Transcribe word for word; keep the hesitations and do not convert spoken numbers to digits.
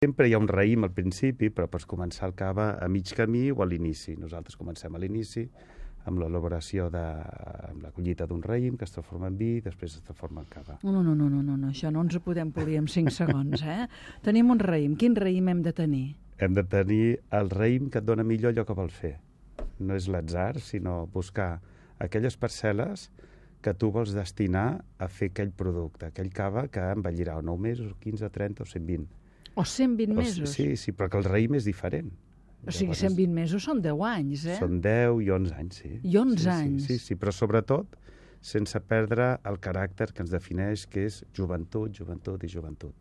Sempre hi ha un raïm al principi, però pots començar el cava a mig camí o a l'inici. Nosaltres comencem a l'inici amb l'elaboració de amb la collita d'un raïm que es transforma en vi i després es transforma en cava. No, no, no, no, no, no. Això no ens ho podem polir en cinc segons, eh? Tenim un raïm. Quin raïm hem de tenir? Hem de tenir el raïm que et dona millor allò que vol fer. No és l'atzar, sinó buscar aquelles parcel·les que tu vols destinar a fer aquell producte, aquell cava que envellirà o nou mesos, quinze, trenta o cent vint. O cent vint O, mesos? sí, sí, però que el raïm és diferent. O sigui, cent vint mesos són deu anys, eh? Són deu i onze anys, sí. I onze sí, anys. Sí, sí, sí, però sobretot sense perdre el caràcter que ens defineix, que és joventut, joventut i joventut.